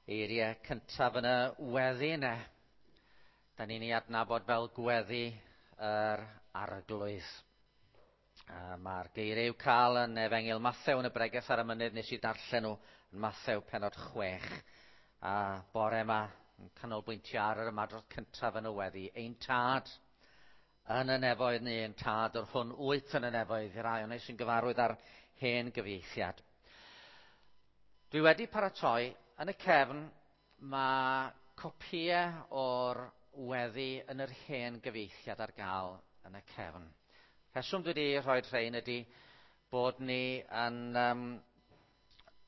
Eiriau cyntaf yn y weddi yna. Da ni'n ei adnabod fel gweddi yr Arglwydd. Mae'r geiriau i'w cael yn Efengyl Mathew yn y bregeth ar y mynydd, nes i darllen nhw yn Mathew pennod 6. A bore yma yn canolbwyntio ar yr ymadrodd cyntaf yn y weddi. Ein tad yn y nefoedd neu ein tad yr hwn wyt yn y nefoedd, i'r rai o'n sy'n gyfarwydd ar hen gyfieithiad. Dwi wedi paratoi, yn y cefn mae copïau o'r weddi yn yr hen gyfieithiad ar gael yn y cefn. Rheswm dwi wedi rhoi rhain ydy bod ni yn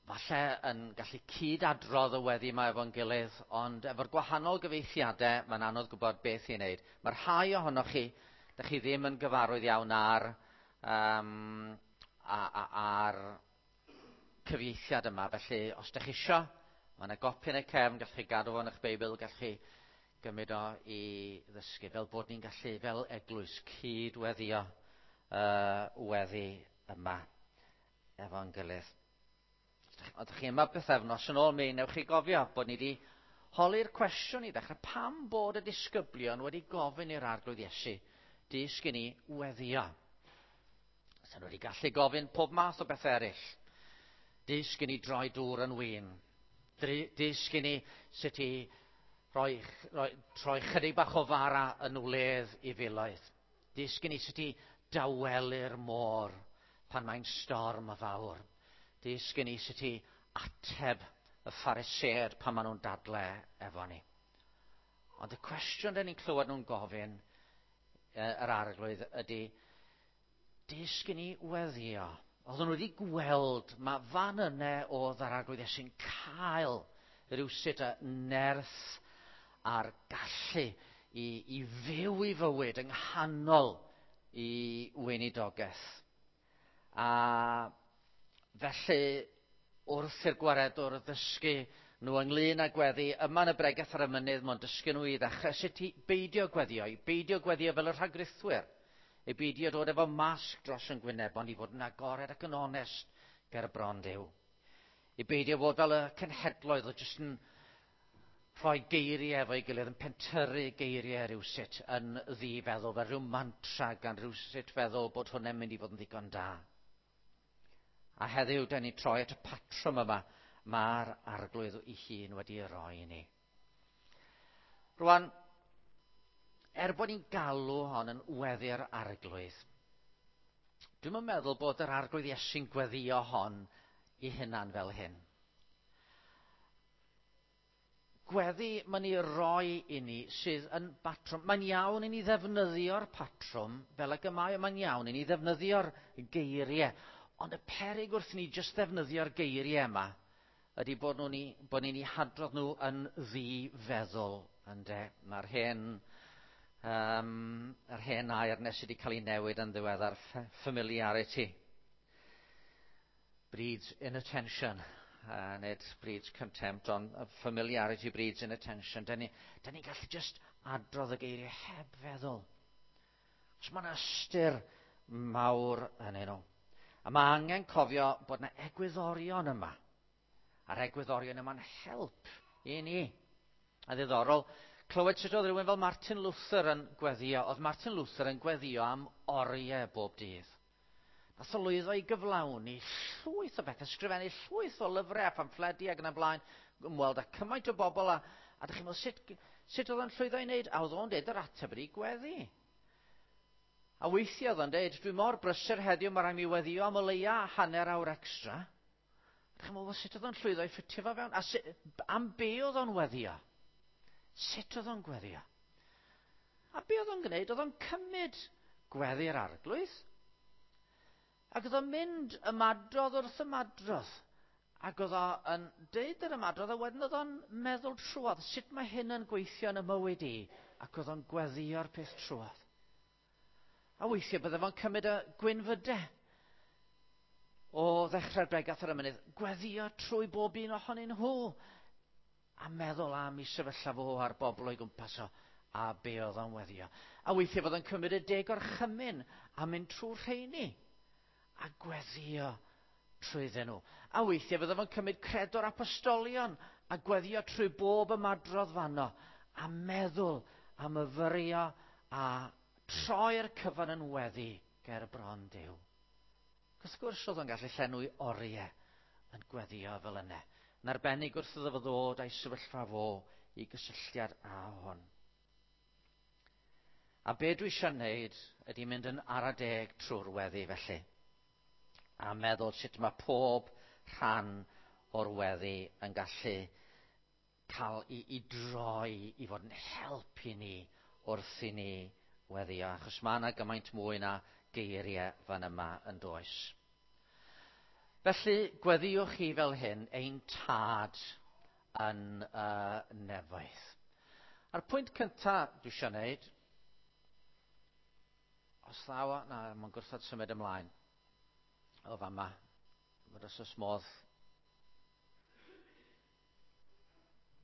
falle yn gallu cyd-adrodd y weddi yma efo'n gilydd, ond efo'r gwahanol gyfieithiadau mae'n anodd gwybod beth i wneud. Mae rhai ohonoch chi, dych chi ddim yn gyfarwydd iawn ar, um, ar cyfieithiad yma, felly os dych chi isio, mae yna gopi yn y cefn, gallwch chi gadw fo yn eich Beibl, gallwch chi gymryd o i ddysgu, fel bod ni'n gallu, fel eglwys, cyd-weddio weddi yma efo'n gilydd. Oeddech chi yma bythefnos yn ôl, mi newch chi gofio bod ni wedi holi'r cwestiwn i ddechrau, pam bod y disgyblion wedi gofyn i'r Arglwydd Iesu, dysg i ni weddio? Sa'n nhw wedi gallu gofyn pob math o bethau eraill. Dysg i ni droi dŵr yn win. Dysg i ni sut i roi, roi, troi chydig bach o fara yn wledd i filoedd. Dysg i ni sut i dawelu'r môr pan mae'n storm fawr. Dysg i ni sut i ateb y Phariseaid pan maen nhw'n dadle efo ni. Ond y cwestiwn dyn ni'n clywed nhw'n gofyn yr Arglwydd ydy, dysg i ni weddio. Oedden nhw wedi gweld mae fan yna oedd yr Arglwydd Iesu'n cael rhywsut y nerth a'r gallu i, i fyw i fywyd yng nghanol i weinidogaeth. A felly, wrth i'r gwaredwr ddysgu nhw ynglyn â gweddi, yma yn y bregeth ar y mynydd, mae'n dysgu nhw i ddechrau sut i beidio gweddio, i beidio gweddio fel y rhagrithwyr, i beidio dod efo masg dros yn gwyneb, ond i fod yn agored ac yn onest ger bron Duw. I beidio fod fel y cenhedloedd o jyst yn rhoi geiriau efo'i gilydd, yn pentyrru geiriau rhywsut yn ddifeddwl, fel rhyw mantra gan rhywsut feddwl bod hwnna'n mynd i fod yn ddigon da. A heddiw, da ni troi at y patrwm yma mae'r Arglwydd ei hun wedi ei roi i ni. Rwan, er bod ni'n galw hon yn weddi'r Arglwydd, dwi'm yn meddwl bod yr Arglwydd Iesu'n gweddio hon i hunan fel hyn. Gweddi mae'n ei roi i ni sydd yn batrwm. Mae'n iawn i ni ddefnyddio'r patrwm fel ag y mae, mae'n iawn i ni ddefnyddio'r geiriau. Ond y peryg wrth ni jyst ddefnyddio'r geiriau yma ydy bod, nhw'n ni, bod ni'n eu hadrodd nhw yn ddi-feddwl. Ynde? Mae'r hen, um, yr hen air nes wedi cael ei newid yn ddiweddar, familiarity breeds inattention. Nid breeds contempt, ond familiarity breeds inattention. Da ni'n ni gallu just adrodd y geiriau heb feddwl. Os mae'n ystyr mawr yn nhw. A mae angen cofio bod yna egwyddorion yma. A'r egwyddorion yma'n help i ni. A ddiddorol, clywed sut oedd rhywun fel Martin Luther yn gweddio. Oedd Martin Luther yn gweddio am oriau bob dydd. Nath o lwyddo i gyflawni llwyth o bethau, ysgrifennu llwyth o lyfrau a phamffledi ac yn y blaen, ymweld â cymaint o bobl a, a dych chi'n meddwl sut, sut oedd o'n llwyddo i wneud? A oedd o'n deud yr ateb ydi gweddi. A weithiau oedd o'n deud, dwi mor brysur heddiw, mae rhaid mi weddio am o leia hanner awr extra. Dych chi'n meddwl, sut oedd o'n llwyddo i ffitio fo fewn? A sut, am be oedd o'n weddio? Sut oedd o'n gweddio? A be oedd o'n gwneud? Oedd o'n cymryd gweddi'r Arglwydd. Ac oedd o'n mynd ymadrodd wrth ymadrodd. Ac oedd o'n deud yr ymadrodd a wedyn oedd o'n meddwl trwodd sut mae hyn yn gweithio yn y mywyd i. Ac oedd o'n gweddio'r peth trwodd. A weithiau bydde fo'n cymryd y gwynfydau o ddechrau'r bregath ar y mynydd, gweddio trwy bob un ohonyn nhw, a meddwl am i sefyllfa fo a'r bobl o'i gwmpas o, a be oedd o'n weddio. A weithiau fod o'n cymryd y deg orchymyn a mynd trwy'r rheini, a gweddio trwyddyn nhw. A weithiau fydde fo'n cymryd credo'r apostolion A gweddio trwy bob ymadrodd fanno, a meddwl, a myfyrio, a troi'r cyfan yn weddi ger bron Duw. Wrth gwrs oedd o'n gallu llenwi oriau yn gweddio fel yna. Yn arbennig wrth iddo fo ddod a'i sefyllfa fo i gysylltiad â hwn. A be dwi eisiau wneud ydy mynd yn ara deg trwy'r weddi felly. A meddwl sut mae pob rhan o'r weddi yn gallu cael i droi i fod yn help i ni wrth i ni weddio. Achos mae yna gymaint mwy na geiriau fan yma yn does. Felly, gweddiwch chi fel hyn, ein tad yn y nefoedd. A'r pwynt cyntaf dwi eisiau gwneud, os ddaw, na, mae'n gwrthod symud ymlaen. O fama, fod os oes modd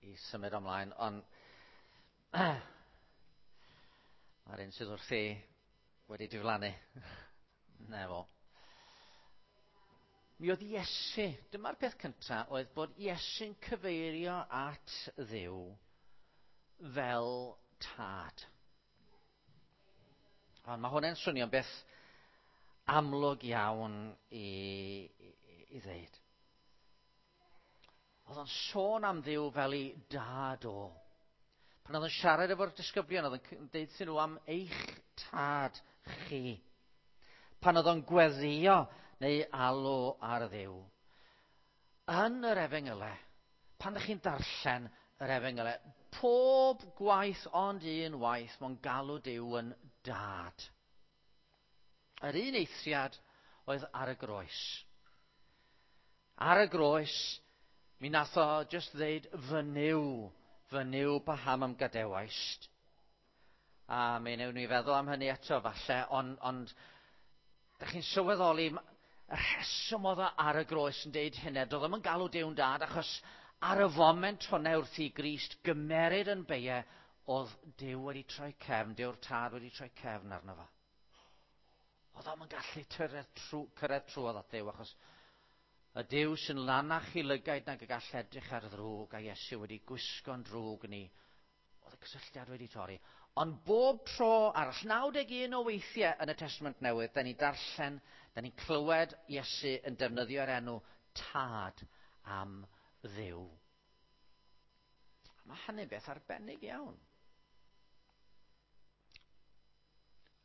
i symud ymlaen, ond mae'r un sydd wrthi wedi diflannu. Na fo. Mi oedd Iesu, dyma'r peth cyntaf, oedd bod Iesu'n cyfeirio at Dduw fel tad. Ond mae hwnna'n swnio'n beth amlwg iawn i ddeud. Oedd o'n sôn am Dduw fel ei dad o. Pan oedd o'n siarad efo'r disgyblion, oedd o'n deud nhw am eich tad chi. Pan oedd o'n gweddio neu alw ar Dduw. Yn yr Efengylau, pan ydych chi'n darllen yr Efengylau, pob gwaith ond un waith mae'n galw Duw yn dad. Yr un eithriad oedd ar y groes. Ar y groes, mi nath o jyst ddeud, fy Nuw, paham am gadewaist. A mi wnewn ni feddwl am hynny eto falle, ond dych chi'n sylweddoli, y rheswm oedd o ar y groes yn deud hynny, doedd o'm yn galw Duw'n dad, achos ar y foment hwnna wrth i Grist gymeryd yn beie, oedd Duw wedi troi cefn, Duw'r tad wedi troi cefn arno fo. Oedd o'm yn gallu cyrraedd trwodd at Dduw, achos y Duw sy'n lanach i lygaid nag y gall edrych ar ddrwg, a Iesu wedi gwisgo'n drwg ni, oedd y cysylltiad wedi torri. Ond bob tro arall, 91 o weithiau yn y Testament Newydd, da ni'n darllen, da ni'n clywed Iesu yn defnyddio'r enw Tad am Dduw. Mae hynny'n beth arbennig iawn.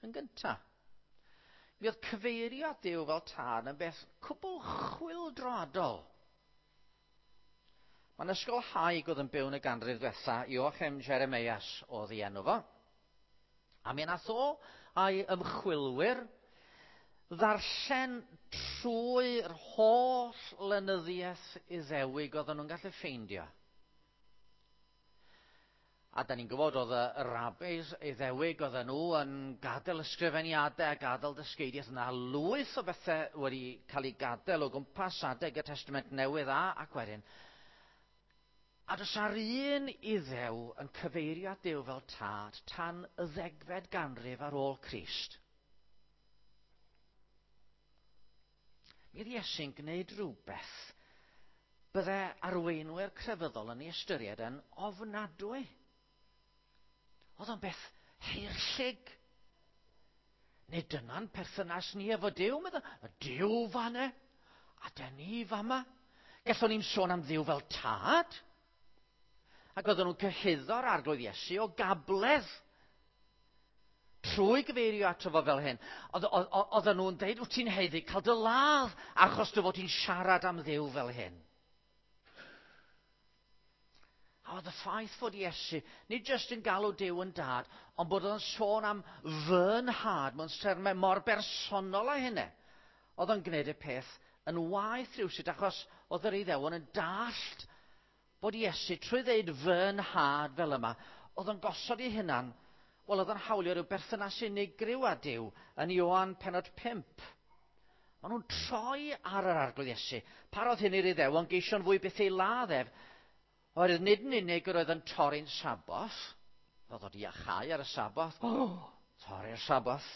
Yn gyntaf, mi oedd cyfeirio at Dduw fel tad yn beth cwbl chwyldroadol. Mae'n ysgolhaig oedd yn byw yn y ganrif ddiwetha, Joachim Jeremias oedd ei enw fo. A mi nath o a'i ymchwilwyr ddarllen trwy'r holl lenyddiaeth Iddewig oedden nhw'n gallu ffeindio. A da ni'n gwybod oedd y rabbis Iddewig oedden nhw yn gadael ysgrifeniadau a gadael dysgeidiaeth. Yna lwyth o bethau wedi cael ei gadael o gwmpas adeg y Testament Newydd ac wedyn. A does ar un Iddew yn cyfeirio at Duw fel tad tan y 10fed ganrif ar ôl Crist. Mi oedd Iesu'n gwneud rhywbeth bydde arweinwyr crefyddol yn ei ystyried yn ofnadwy. Oedd o'n beth heirllig. Nid dyna'n perthynas ni efo Duw, meddwl, y Duw fan'na, a dyn ni fama. Gallwn ni'n sôn am Dduw fel tad. Ac oedden nhw'n cyhuddo'r Arglwydd Iesu o gabledd trwy gyfeirio ato fo fel hyn. Oedden nhw'n deud, wyt ti'n haeddu cael dy ladd achos dy fod ti'n siarad am Dduw fel hyn. A oedd y ffaith fod Iesu, nid jyst yn galw Duw yn dad, ond bod o'n sôn am fy nhad mewn termau mor bersonol â hynny. Oedd o'n gwneud y peth yn waeth rhywsut, achos oedd yr Iddewon yn dallt bod Iesu, trwy ddeud fy nhad fel yma, oedd o'n gosod ei hunan, wel oedd o'n hawlio rhyw berthynas unigryw â Duw yn Ioan penod 5. Maen nhw'n troi ar yr Arglwydd Iesu. Parodd hyn i'r Iddewon geisio'n fwy beth ei ladd ef, oherwydd nid yn unig yr oedd yn torri'n Saboth, oedd o 'di iachau ar y Saboth, torri'r Saboth,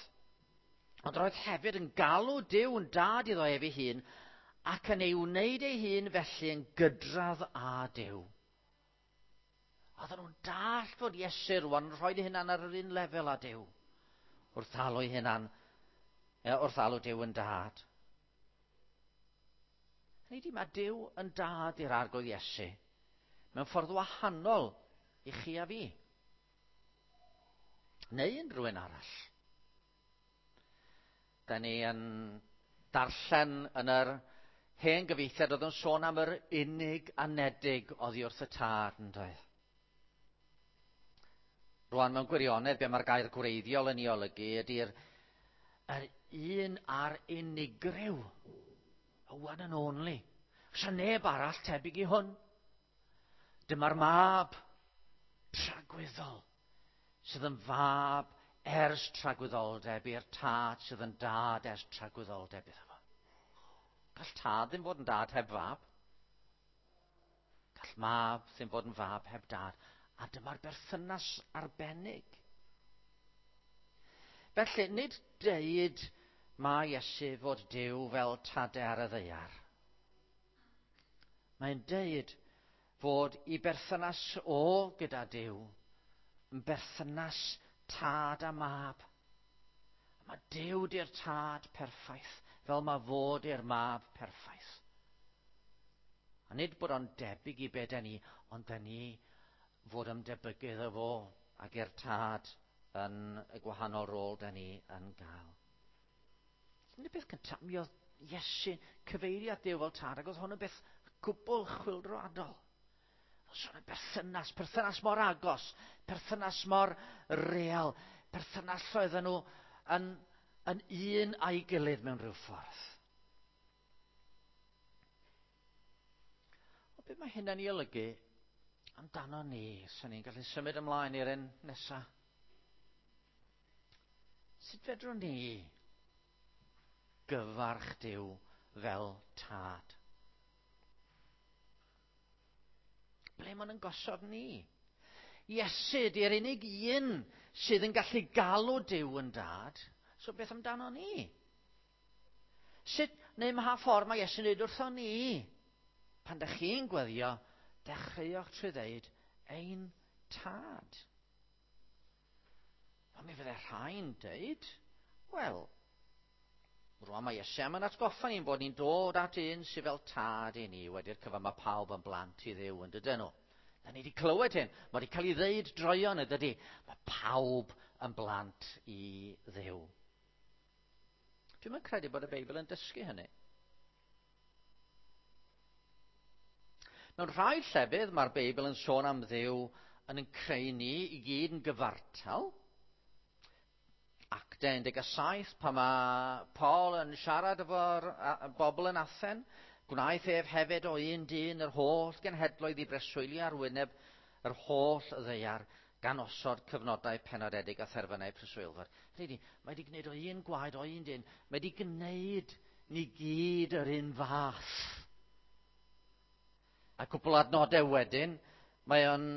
ond roedd hefyd yn galw Duw yn dad iddo ef ei hun, ac yn ei wneud ei hun felly yn gydradd â Duw. Oedden nhw'n dallt fod Iesu rwan yn rhoi ei hunan ar yr un lefel â Duw. Wrth alw ei hunan, wrth alw Duw yn dad. Hynny ydi, mae Duw yn dad i'r Arglwydd Iesu mewn ffordd wahanol i chi a fi. Neu unrhyw un arall. Da ni yn darllen yn yr hen gyfieithiad oedd yn sôn am yr unig anedig oddi wrth y tad, yn doedd? Rwan, mewn gwirionedd, be mae'r gair gwreiddiol yn ei olygu ydy'r yr un a'r unigryw. Y one and only. Oes neb arall tebyg i hwn. Dyma'r mab tragwyddol sydd yn fab ers tragwyddoldeb i'r tad sydd yn dad ers tragwyddoldeb iddo fo. Gall tad ddim fod yn dad heb fab. Gall mab ddim fod yn fab heb dad. A dyma'r berthynas arbennig. Felly, nid deud mae Iesu fod Duw fel tadau ar y ddaear. Mae'n deud fod i berthynas o gyda Duw yn berthynas tad a mab. A mae Duw di'r tad perffaith, fel mae fod i'r mab perffaith. A nid bod o'n debyg i be da ni, ond da ni fod ymdebygu iddo fo ac i'r tad yn y gwahanol rôl da ni yn gael. Yn y beth cyntaf, mi oedd Iesu cyfeiriad Duw fel tad, ac oedd hwn yn beth gwbl chwyldroadol. Oedd sôn am berthynas, perthynas mor agos, perthynas mor real, perthynas oedden nhw yn, yn un a'i gilydd mewn rhyw ffordd. O beth mae hynna'n ei olygu amdano ni, sy'n ni'n gallu symud ymlaen i'r un nesaf? Sut fedrwn ni gyfarch Duw fel tad? Ble maen nhw'n gosod ni? Iesu di'r unig un sydd yn gallu galw Duw yn dad. So beth amdano ni? Sut, neu mha ffordd mae Iesu'n dweud wrtho ni? Pan da chi'n gweddio, dechreuwch trwy ddeud, ein tad. Ond mi fydde rhai'n deud, wel, rwan mae Iesu am yn atgoffa ni'n bod ni'n dod at un sydd fel tad i ni, wedi'r cyfan mae pawb yn blant i Dduw yn dydyn nhw. Da ni wedi clywed hyn, mae wedi cael ei ddeud droion yn dydy. Mae pawb yn blant i Dduw. Dwi'm yn credu bod y Beibl yn dysgu hynny. Mewn rhai llefydd mae'r Beibl yn sôn am Dduw yn yn creu ni i gyd yn gyfartal. Actau 17, pan mae Paul yn siarad efo'r bobl yn Athen, gwnaeth ef hefyd o un dyn yr holl genhedloedd i breswylio ar wyneb yr holl ddaear, gan osod cyfnodau penodedig a therfynau preswylfod. Hynny ydi, mae wedi gwneud o un gwaed o un dyn, mae wedi gwneud ni gyd yr un fath. A cwpl adnodau wedyn, mae o'n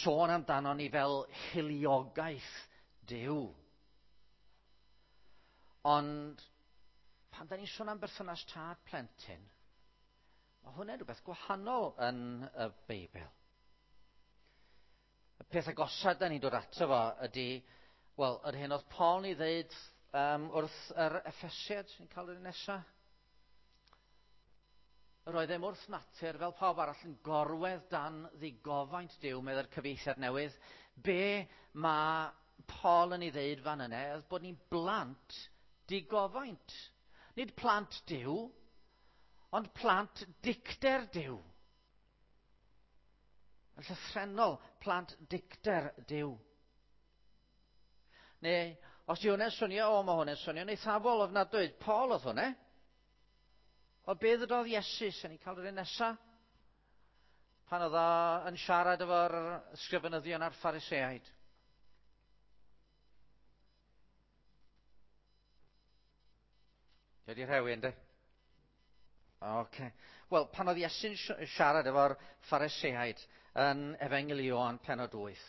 sôn amdano ni fel hiliogaeth Duw. Ond pan da ni'n sôn am berthynas tad plentyn, mae hwnna'n rhywbeth gwahanol yn y Beibl. Y peth agosaf da ni'n dod ato fo ydy, wel, yr hyn oedd Paul yn ei ddeud wrth yr Effesiaid, sy'n cael yr un nesaf. Yr oeddem wrth natur, fel pawb arall, yn gorwedd dan ddigofaint Duw, meddai'r cyfieithiad newydd. Be mae Paul yn ei ddeud fan yna oedd bod ni'n blant digofaint. Nid plant Duw, ond plant dicter Duw. Yn llythrennol, plant dicter Duw. Neu, os yw hwnna'n swnio, o, mae hwnna'n swnio'n eithafol ofnadwy. Paul oedd hwnna. O be ddydodd Iesu, sy'n ni'n cael yr un nesaf? Pan oedd o yn siarad efo'r ysgrifenyddion a'r Phariseaid. Wedi rhewi, ynddi? Oce. Wel, pan oedd Iesu'n siarad efo'r Phariseaid yn Efengyl Ioan pennod 8,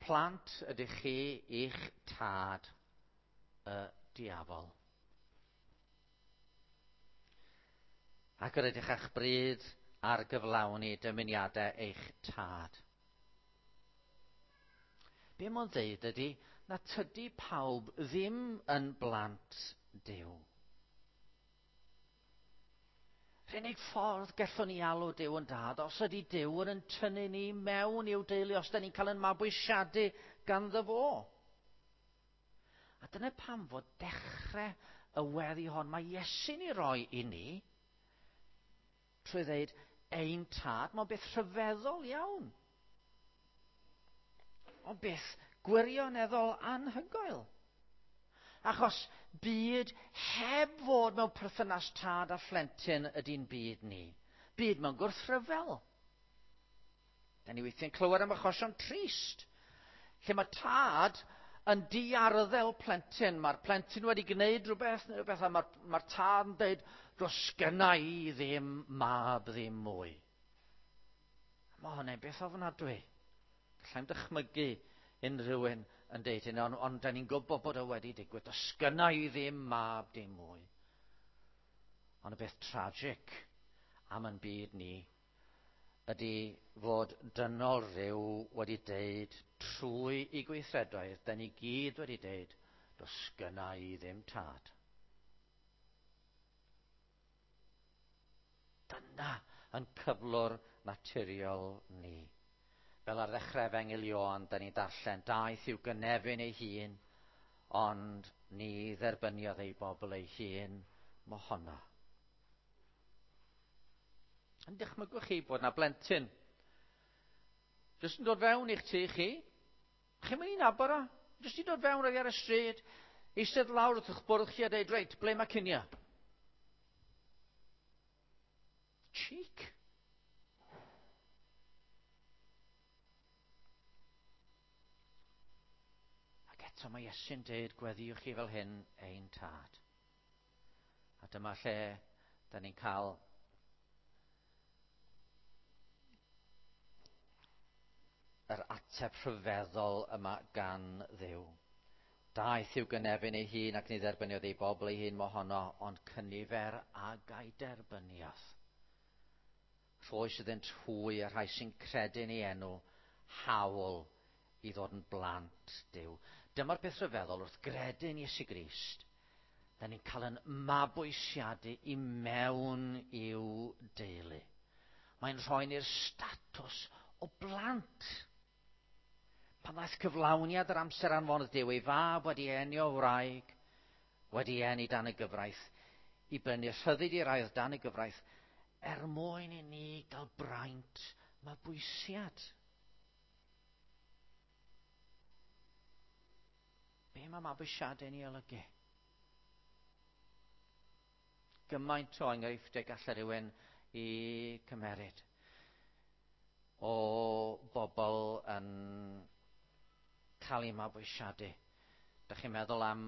plant ydych chi i'ch tad y diafol. Ac yr ydych a'ch bryd ar gyflawni dymuniadau eich tad. Be mae'n dweud ydy na tydi pawb ddim yn blant Duw. Yr unig ffordd gallwn ni alw Duw yn dad, os ydy Duw yn tynnu ni mewn i'w deulu, os da ni'n cael yn mabwysiadu ganddo fo. A dyna pam fod dechrau y weddi hon mae Iesu'n ei roi i ni, trwy ddeud ein tad, mae'n beth rhyfeddol iawn. Ond beth gwirioneddol anhygoel. Achos byd heb fod mewn perthynas tad a phlentyn ydy'n byd ni. Byd mewn gwrthryfel. Da ni weithiau'n clywed am achosion trist, lle mae tad yn diarddel plentyn. Mae'r plentyn wedi gwneud rhywbeth neu rhywbeth, a mae'r mae tad yn dweud, does gynna i ddim mab ddim mwy. Mae hwnna'n beth ofnadwy. Gallai'm dychmygu unrhyw un yn deud hynny, ond, ond da ni'n gwybod bod o wedi digwydd. Does gynna i ddim mab dim mwy. Ond y beth tragic am yn byd ni ydy fod dynol rhyw wedi deud trwy i gweithredoedd, da ni gyd wedi deud, does gynna i ddim tad. Dyna yn cyflwr naturiol ni. Fel ar ddechrau Efengyl Ioan, da ni'n darllen, daeth i'w gynefin ei hun, ond ni dderbyniodd ei bobl ei hun mohono. Yn dychmygwch chi bod na blentyn jyst yn dod fewn i'ch tŷ chi. Chi'n mynd i nabod o. Jyst i dod fewn oddi ar y stryd, eistedd lawr wrth eich bwrdd chi a dweud, reit, ble mae cinio? Cheek. Ac eto mae Iesu'n deud, gweddiwch chi fel hyn ein tad. A dyma lle da ni'n cael yr ateb rhyfeddol yma gan Dduw. Daeth i'w gynefin ei hun ac ni dderbyniodd ei bobl ei hun mohono, ond cynifer ag a'i derbyniodd. Rhoes iddynt hwy y rhai sy'n credu'n ei enw hawl i ddod yn blant Duw. Dyma'r peth rhyfeddol wrth gredu'n Iesu Grist. Da ni'n cael yn mabwysiadu i mewn i'w deulu. Mae'n rhoi ni'r statws o blant. Pan ddaeth cyflawniad yr amser anfonodd Duw ei fab wedi eni o wraig, wedi eni dan y gyfraith, i brynu rhyddid i'r ail dan y gyfraith, er mwyn i ni gael braint mabwysiad. Be mae mabwysiadau'n ei olygu? Gymaint o enghreifftiau gallai rhywun i cymeryd o bobl yn cael eu mabwysiadu. Da chi'n meddwl am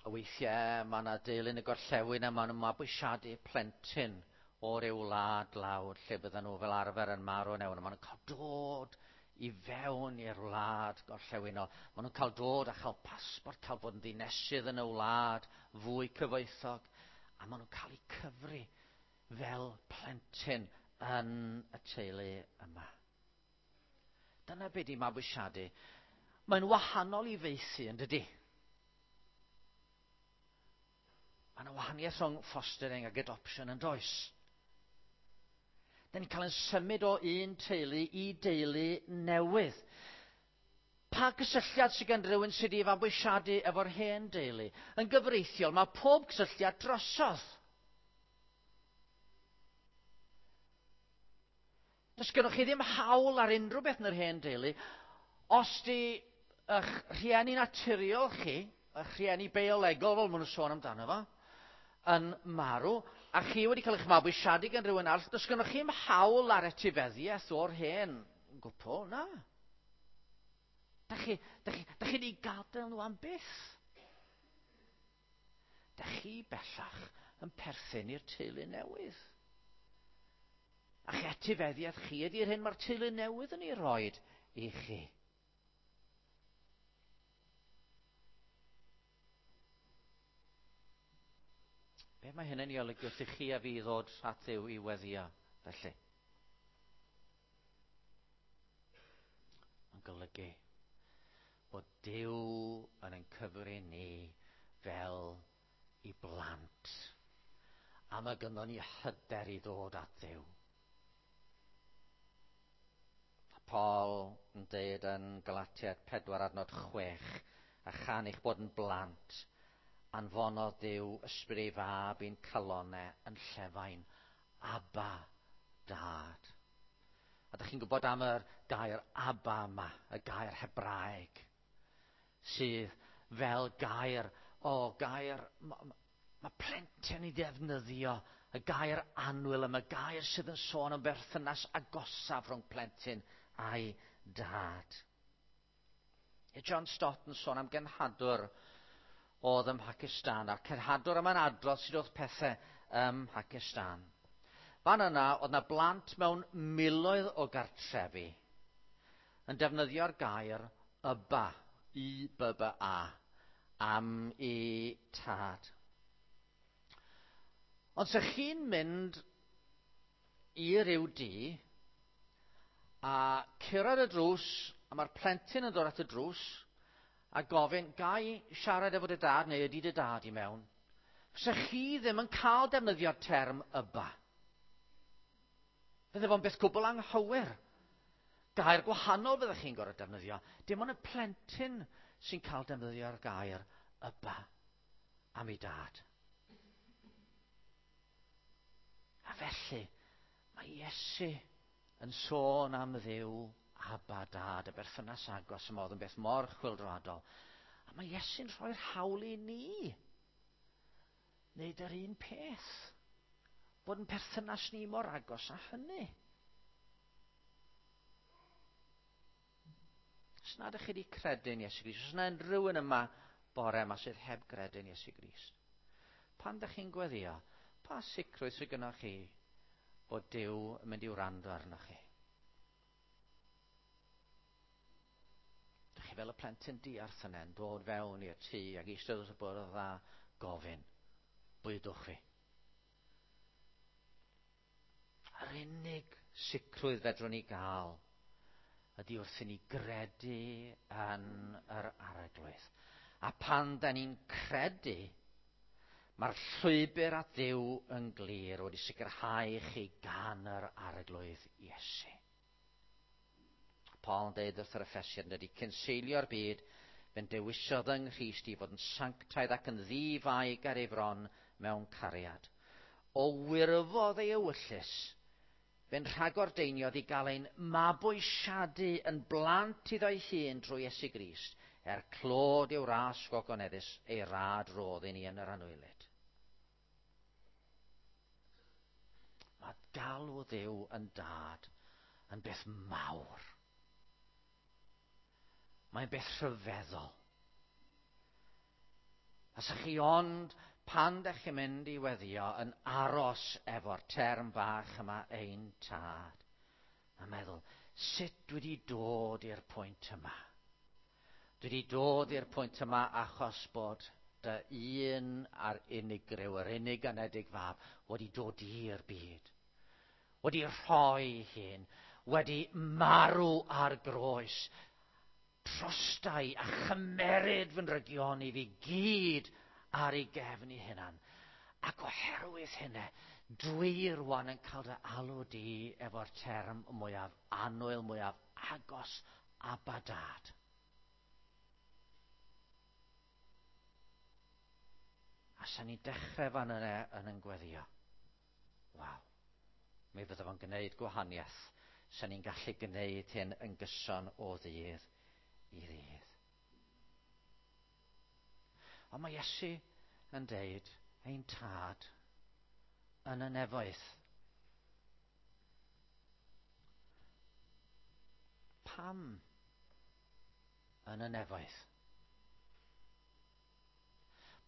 y weithiau mae yna deulu yn y gorllewin a maen nhw'n mabwysiadu plentyn o ryw wlad lawr lle bydden nhw fel arfer yn marw yn ewn. Maen nhw'n cael dod i fewn i'r wlad gorllewinol. Maen nhw'n cael dod a chael pasbort, cael bod yn ddinesydd yn y wlad fwy cyfoethog. A maen nhw'n cael eu cyfri fel plentyn yn y teulu yma. Dyna be di mabwysiadu. Mae'n wahanol i faethu, yn dydy? Mae yna wahaniaeth rhwng fostering ac adoption yn does. Da ni'n cael yn symud o un teulu i deulu newydd. Pa gysylltiad sydd gen rhywun sydd wedi fabwysiadu efo'r hen deulu? Yn gyfreithiol, mae pob cysylltiad drosodd. Does gennych chi ddim hawl ar unrhyw beth yn yr hen deulu os di eich rhieni naturiol chi, eich rhieni biolegol fel maen nhw'n sôn amdano fo, yn marw, a chi wedi cael eich mabwysiadu gan rhywun arall, does gennych chi'm hawl ar etifeddiaeth o'r hen gwpl, na. Da chi, da chi, da chi wedi gadael nhw am byth. Da chi bellach yn perthyn i'r teulu newydd. A'ch etifeddiaeth chi ydy'r hyn mae'r teulu newydd yn ei roed i chi. Be mae hyn yn ei olygu wrth i chi a fi ddod at Dduw i weddio? felly? Mae'n golygu bod Duw yn ein cyfri ni fel i blant. A mae gynnon ni hyder i ddod at Dduw. Paul yn deud yn Galatiaid 4 adnod 6, a chan eich bod yn blant, anfonodd Duw ysbryd ei fab i'n calonau yn llefain, Abba, Dad. A dych chi'n gwybod am yr gair Abba yma, y gair Hebraeg, sydd fel gair, o gair, mae ma plentyn i ddefnyddio y gair annwyl yma, gair sydd yn sôn am berthynas agosaf rhwng plentyn a'i dad. E John Stott yn sôn am genhadwr oedd ym Mhacistan, a'r cenhadwr yma'n adrodd sut oedd pethau ym Mhacistan. Fan yna, oedd yna blant mewn miloedd o gartrefi yn defnyddio'r gair yba, I-B-B-A, am i tad. Ond se chi'n mynd i ryw dŷ a cyrraedd y drws, a mae'r plentyn yn dod at y drws, a gofyn, ga i siarad efo dy dad, neu ydy dy dad i mewn? Fysa chi ddim yn cael defnyddio'r term yba. Fydde fo'n beth gwbl anghywir. Gair gwahanol fyddech chi'n gorfod defnyddio. Dim ond y plentyn sy'n cael defnyddio'r gair yba am ei dad. A felly, mae Iesu yn sôn am Dduw Abba Dad, y berthynas agos yma oedd yn beth mor chwyldroadol. A mae Iesu'n rhoi'r hawl i ni wneud yr un peth. Bod yn perthynas ni mor agos â hynny. Os nad ydych chi wedi credu'n Iesu Grist, os yna unrhyw un yma bore yma sydd heb gredu'n Iesu Grist, pan ydych chi'n gweddio, pa sicrwydd sydd gynnwch chi bod Duw yn mynd i wrando arnoch chi? Dych chi fel y plentyn diarth yna yn dod fewn i'r tŷ ac eistedd wrth y bwrdd a gofyn, bwydwch fi. Yr unig sicrwydd fedrwn ni gael ydy wrth i ni gredu yn yr Arglwydd. A pan da ni'n credu, mae'r llwybr at Dduw yn glir wedi sicrhau chi gan yr Arglwydd Iesu. Paul yn deud wrth yr Effesiad yn dydy, cyn seilio'r byd, fe'n dewisodd yng Nghrist i fod yn sanctaidd ac yn ddi-faig ar ei fron mewn cariad. O wirfodd ei ewyllys, fe'n rhagordeiniodd i gael ein mabwysiadu yn blant iddo'i hun drwy Iesu Grist, er clod i'w ras gogoneddus, ei rad rodd i ni yn yr anwylyd. Mae galw Dduw yn dad yn beth mawr. Mae'n beth rhyfeddol. A sa chi ond pan dych chi'n mynd i weddio yn aros efo'r term bach yma ein tad, a meddwl, sut dwi wedi dod i'r pwynt yma? Dwi wedi dod i'r pwynt yma achos bod dy un a'r unigryw, yr unig anedig fab, wedi dod i'r byd, wedi rhoi hun, wedi marw ar groes, trostai a chymeryd fy nrygion i fi gyd ar ei gefn ei hunan. Ac oherwydd hynny, dwi rwan yn cael dy alw di efo'r term mwyaf annwyl, mwyaf agos, Abba Dad. A sa'n ni'n dechrau fan yna yn yn gweddio. Waw. Mi fydda fo'n gwneud gwahaniaeth. Sa'n ni'n gallu gwneud hyn yn gyson o ddydd i ddydd. Ond mae Iesu yn deud, ein tad yn y nefoedd. Pam yn y nefoedd?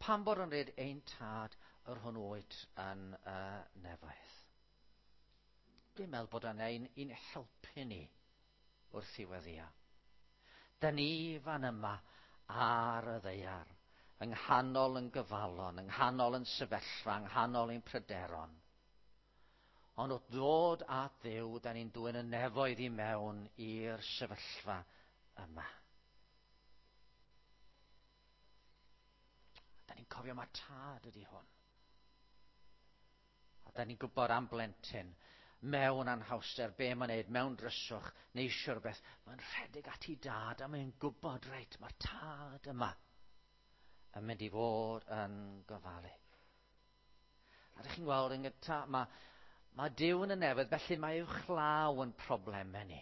Pam bod yn dweud ein tad yr hwn wyt yn y nefoedd? Dwi'n meddwl bod yna un i'n helpu ni wrth i weddio. Da ni fan yma ar y ddaear, yng nghanol yn gyfalon, yng nghanol yn sefyllfa, yng nghanol ein pryderon. Ond wrth ddod at Dduw, da ni'n dwyn y nefoedd i mewn i'r sefyllfa yma. Da ni'n cofio mae tad ydy hwn. A da ni'n gwybod am blentyn mewn anhawster, be mae'n neud, mewn dryswch, neu eisiau rhywbeth, mae'n rhedeg at ei dad a mae'n gwybod, reit, mae'r tad yma yn mynd i fod yn gofalu. A ydych chi'n gweld yn gyntaf, mae Duw yn y nefoedd, felly mae uwchlaw yn problemau ni.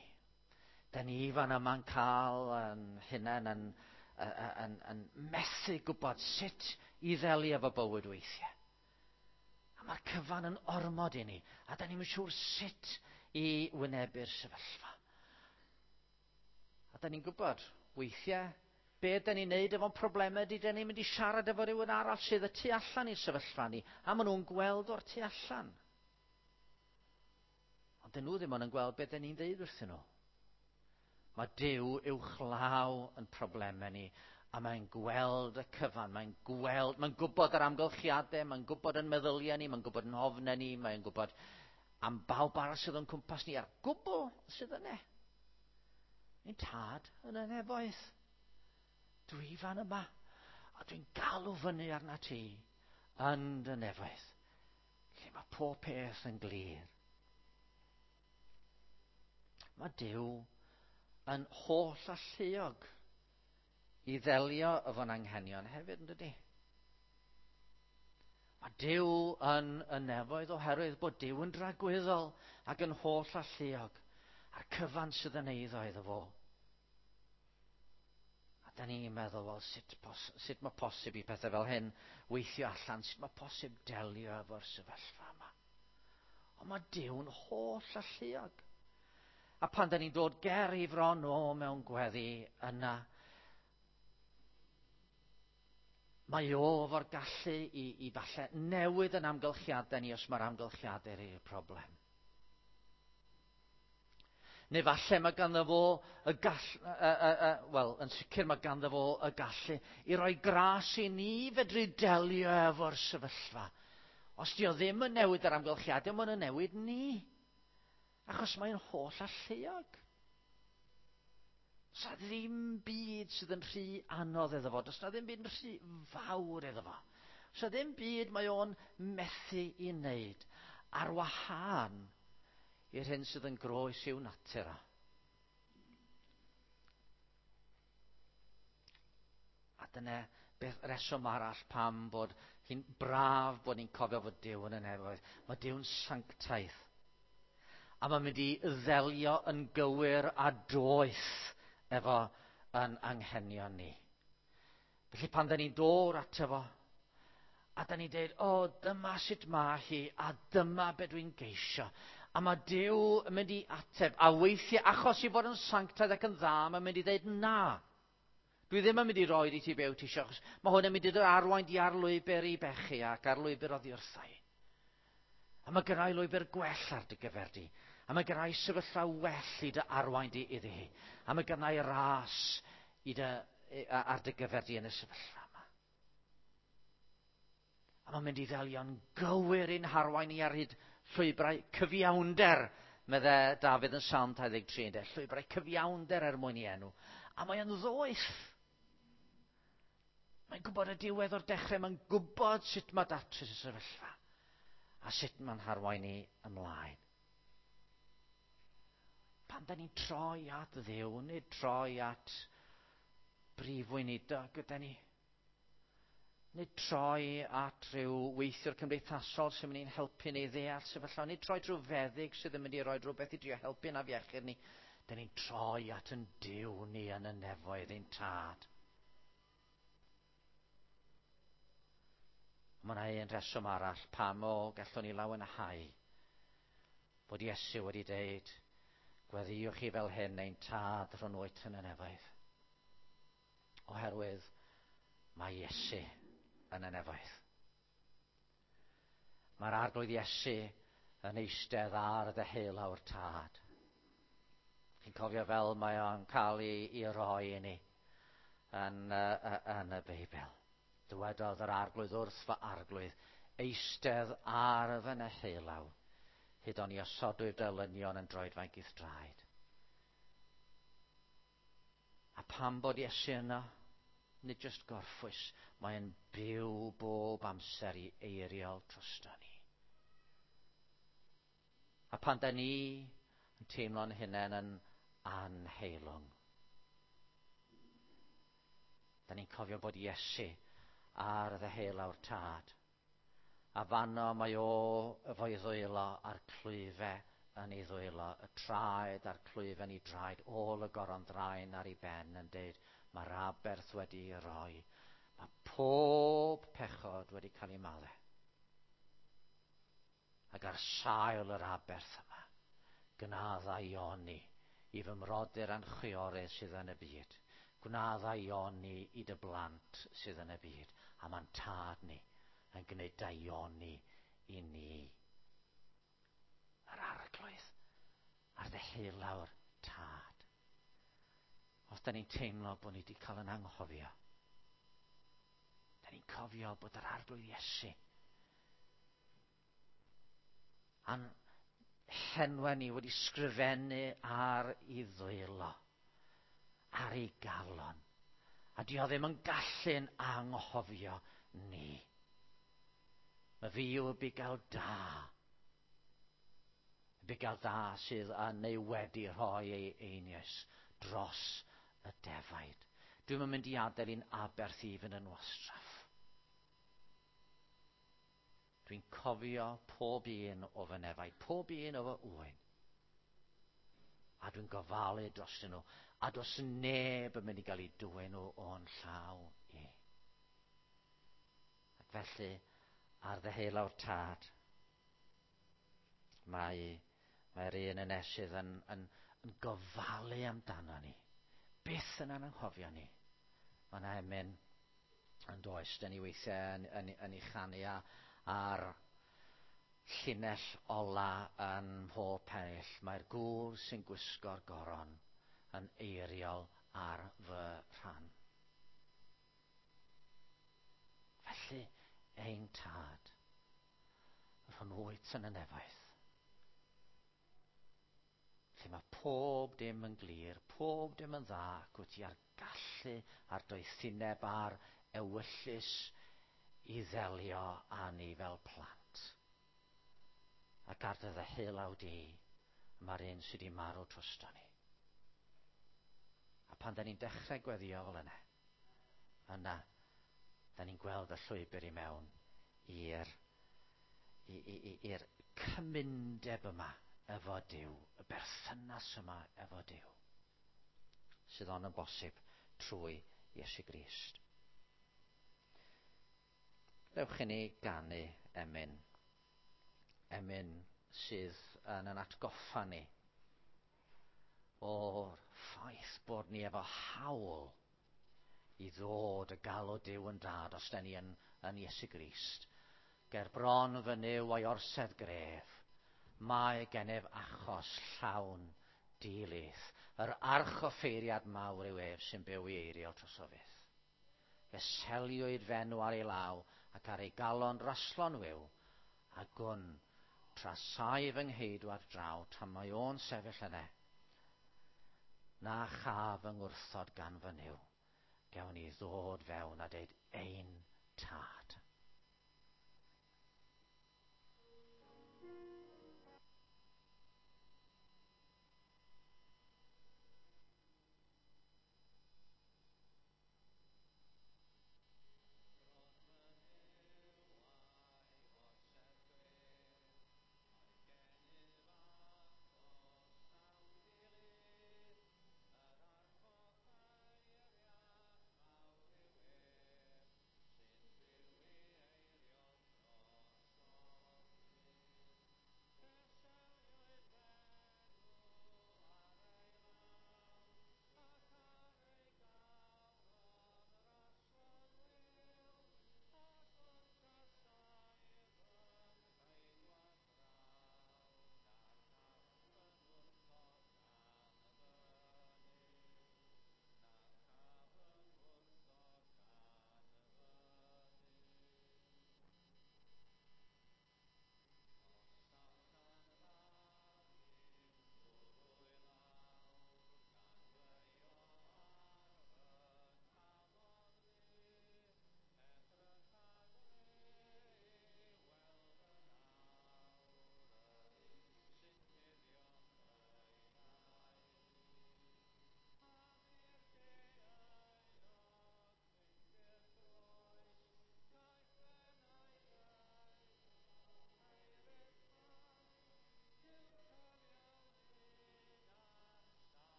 Da ni fan yma'n cael yn hunain yn methu gwybod sut i ddelio efo bywyd weithiau. A mae'r cyfan yn ormod i ni, a da ni'n siŵr sut i wynebu'r sefyllfa. A da ni'n gwybod, weithiau, be da ni'n neud efo'n problemau ydy, da ni'n mynd i siarad efo rhywun arall sydd y tu allan i'r sefyllfa ni, a maen nhw'n gweld o'r tu allan. Ond dyn nhw ddim ond yn gweld be da ni'n dweud wrthyn nhw. Mae Duw uwchlaw yn problemau ni, a mae'n gweld y cyfan, mae'n gweld, mae'n gwybod yr amgylchiadau, mae'n gwybod yn meddyliau ni, mae'n gwybod yn hofnau ni, mae'n gwybod am bawb arall sydd o'n cwmpas ni, a'r gwbl sydd yna. Ein tad yn y nefoedd. Dwi fan yma, a dwi'n galw fyny arna ti yn dy nefoedd, lle mae pob peth yn glir. Mae Duw yn holl alluog i ddelio efo'n anghenion hefyd, yn dydy? Mae Duw yn y nefoedd oherwydd bod Duw yn dragwyddol ac yn holl alluog, a'r cyfan sydd yn eiddo iddo fo. A da ni'n meddwl, wel, sut mae posib i pethau fel hyn weithio allan, sut mae posib delio efo'r sefyllfa yma. Ond mae Duw'n holl alluog. A pan da ni'n dod ger i fron o mewn gweddi yna, mae o efo'r gallu i falle newid yn amgylchiadau ni os mae'r amgylchiadau i'r problem. Neu falle mae ganddo fo y wel, yn sicr mae ganddo fo y gallu i roi gras i ni fedru delio efo'r sefyllfa. Os di o ddim yn newid yr amgylchiadau, mae'n newid ni. Achos mae'n holl alluog. Does na ddim byd sydd yn rhy anodd iddo fo. Does na ddim byd yn rhy fawr iddo fo. Does na ddim byd mae o'n methu i wneud ar wahân i'r hyn sydd yn groes i'w natur o. A dyna beth reswm arall pam bod hi'n braf bod ni'n cofio fod Duw yn y nefoedd. Mae Duw'n sanctaidd. A mae'n mynd i ddelio yn gywir a doeth efo yn anghenion ni. Felly pan da ni'n dod ato fo, a da ni'n dweud, o, dyma sut mae hi, a dyma be dwi'n geisio. A mae Duw yn mynd i ateb, a weithiau, achos i fod yn sanctaidd ac yn dda, mae'n mynd i dweud na. Dwi ddim yn mynd i roi i ti be wyt ti eisiau, achos mae hwn yn mynd i dy arwain di ar lwybr i bechu ac ar lwybr oddi wrtha i. A mae gynna i lwybr gwell ar dy gyfer di. A mae gynna i sefyllfa well i dy arwain di iddi hi. A mae gynna i ras i dy, ar dy gyfer di yn y sefyllfa yma. A mae'n mynd i ddelio'n gywir i'n harwain i ar hyd llwybrau cyfiawnder, medde Dafydd yn Salm 23, ynde? Llwybrau cyfiawnder er mwyn i enw. A mae o'n ddoeth. Mae'n gwybod y diwedd o'r dechrau, mae'n gwybod sut mae datrys y sefyllfa a sut mae'n harwain ni ymlaen. Pan da ni'n troi at Dduw, nid troi at brif weinidog gyda ni. Nid troi at rhyw weithiwr cymdeithasol sy'n mynd i'n helpu ni ddeall sefyllfa. Nid troi drwy feddyg sydd yn mynd i roi rhywbeth i drio helpu na afiechyd ni. Da ni'n troi at yn Duw ni yn y nefoedd ein tad. Mae yna un rheswm arall pam o gallwn ni lawenhau bod Iesu wedi deud, gweddïwch chi fel hyn ein tad rhwng wyt yn y nefoedd. Oherwydd mae Iesu yn y nefoedd. Mae'r Arglwydd Iesu yn eistedd ar ddeheulaw'r tad. Chi'n cofio fel mae o'n cael ei roi i ni yn y Beibl. Dywedodd yr Arglwydd wrth fy Arglwydd, eistedd ar fy neheulaw, Hyd o'n i osodwyr dylynion yn droedfainc i'th draed. A pam bod Iesu yno? Nid jyst gorffwys, mae'n byw bob amser i eiriol drosto ni. A pan da ni yn teimlo'n hunain yn anheilwng, da ni'n cofio bod Iesu ar ddeheulaw'r Tad. A fanno mae o efo'i ddwylo a'r clwyfe yn ei ddwylo, y traed a'r clwyfe yn ei draed, ôl y goron ddraen ar ei ben yn deud, mae'r aberth wedi ei roi. Mae pob pechod wedi cael ei maddau. Ac ar sail yr aberth yma, gwna ddaioni i fy mrodyr a'n chwiorydd sydd yn y byd. Gwna ddaioni i dy blant sydd yn y byd. A mae'n Tad ni yn gwneud daioni i ni. Yr Arglwydd ar ddeheulaw'r Tad. Os da ni'n teimlo bod ni wedi cael yn anghofio, da ni'n cofio bod yr Arglwydd Iesu a'n henwa ni wedi sgrifennu ar ei ddwylo, ar ei galon. A di o ddim yn gallu'n anghofio ni. Mae fi yw y bugail da. Y bugail da sydd yn neu wedi rhoi ei einioes dros y defaid. Dwi'm yn mynd i adael i'n aberth i fynd yn wastraff. Dwi'n cofio pob un o fy nefaid, pob un o fy ŵyn. A dwi'n gofalu drostyn nhw. A does neb yn mynd i gael ei dwyn nhw o'n llaw i. Ac felly, ar ddeheulaw'r Tad, mae, mae'r un ynesydd yn, yn, yn gofalu amdano ni. Byth yn anghofio ni. Mae yna emyn yn does, dyn ni weithiau yn, yn, yn ei chanu a, a'r llinell ola yn mhob pennill. Mae'r gŵr sy'n gwisgo'r goron yn eiriol ar fy rhan. Felly, ein Tad, yr hwn wyt yn y nefoedd, lle mae pob dim yn glir, pob dim yn dda, ac wyt ti ar gallu, a'r doethineb a'r ewyllys i ddelio â ni fel plant. Ac ar dy ddeheulaw di, mae'r un sydd wedi marw drosto ni. A pan da ni'n dechrau gweddio fel yna, yna, da ni'n gweld y llwybr i mewn i'r i'r cymundeb yma efo Duw, y berthynas yma efo Duw, sydd ond yn bosib trwy Iesu Grist. Dewch i ni ganu emyn. Emyn sydd yn yn atgoffa ni o'r ffaith bod ni efo hawl i ddod y galw Duw yn dad os da ni yn, yn Iesu Grist. Ger bron fy Nuw o'i orsedd gref, mae gennyf achos llawn dilith. Yr archoffeiriad mawr yw ef sy'n byw i eiriol droso fyth. Fe seliwyd f'enw ar ei law ac ar ei galon raslon wiw, a gwn, tra saif fy ngheidwad draw, tra mae o'n sefyll yne, na chaf fy ngwrthod gan fy Nuw. Gewn ni ddod fewn a deud ein Tad.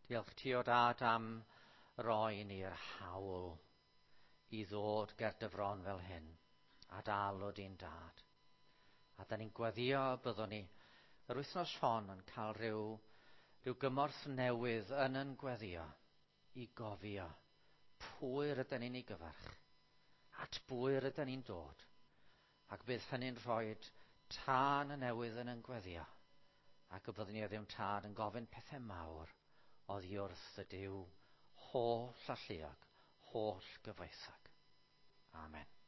Diolch ti o dad am roi ni'r hawl i ddod ger dy fron fel hyn a dal o di'n dad. A da ni'n gweddio byddwn ni yr wythnos hon yn cael rhyw, rhyw gymorth newydd yn yn gweddio i gofio pwy rydyn ni'n ei gyfarch, at bwy rydyn ni'n dod, ac bydd hynny'n rhoi tân y newydd yn yn gweddio, ac y byddwn ni o ddim tad yn gofyn pethau mawr oddi wrth y Duw holl alluog, holl gyfoethog. Amen.